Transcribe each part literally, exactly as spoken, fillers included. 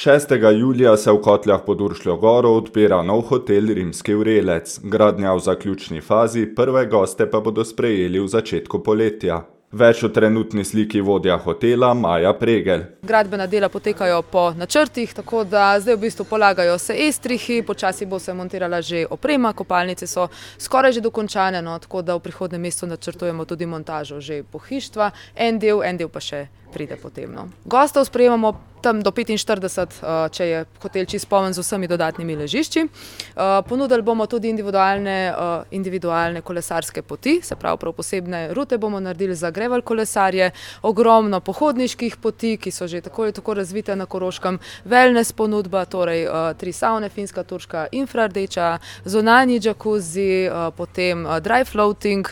šestega julija se v Kotljah pod Uršljo goro odpira nov hotel Rimski vrelec. Gradnja v zaključni fazi, prve goste pa bodo sprejeli v začetku poletja. Več o trenutni sliki vodja hotela Maja Pregel. Gradbena dela potekajo po načrtih, tako da zdaj v bistvu polagajo se estrihi, počasi bo se montirala že oprema, kopalnice so skoraj že dokončane, no, tako da v prihodnjem mesecu načrtujemo tudi montažo že pohištva, en del, en del pa še pride potem. No. Gostov sprejemamo tam do petinštirideset, če je hotel čisto poln z vsemi dodatnimi ležišči. Ponudili bomo tudi individualne, individualne kolesarske poti, se pravi prav posebne rute bomo naredili za gravel kolesarje, ogromno pohodniških poti, ki so že tako ali tako razvite na Koroškem, wellness ponudba, torej tri savne, finska, turška, infrardeča, zunanji džakuzi, potem dry floating,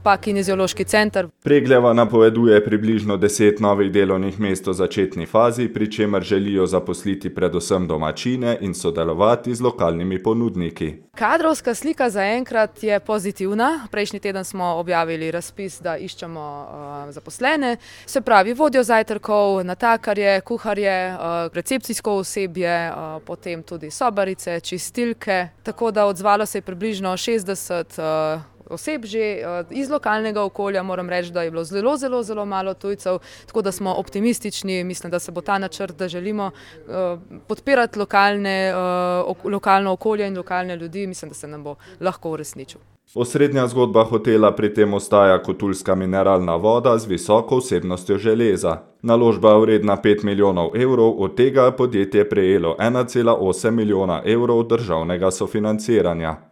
pa kineziološki center. Pregljeva napoveduje približno deset novih delovnih mest v začetni fazi, pri čemer želijo zaposliti predvsem domačine in sodelovati z lokalnimi ponudniki. Kadrovska slika zaenkrat je pozitivna. Prejšnji teden smo objavili razpis, da iščemo uh, zaposlene, se pravi vodjo zajtrkov, natakarje, kuharje, uh, recepcijsko osebje, uh, potem tudi sobarice, čistilke, tako da odzvalo se je približno šestdeset uh, oseb že iz lokalnega okolja. Moram reči, da je bilo zelo, zelo, zelo malo tujcev, tako da smo optimistični. Mislim, da se bo ta načrt, da želimo uh, podpirati lokalne, uh, ok, lokalno okolje in lokalne ljudi, mislim, da se nam bo lahko uresničil. Osrednja zgodba hotela pri tem ostaja kotulska mineralna voda z visoko vsebnostjo železa. Naložba je vredna pet milijonov evrov, od tega je podjetje prejelo ena cela osem milijona evrov državnega sofinanciranja.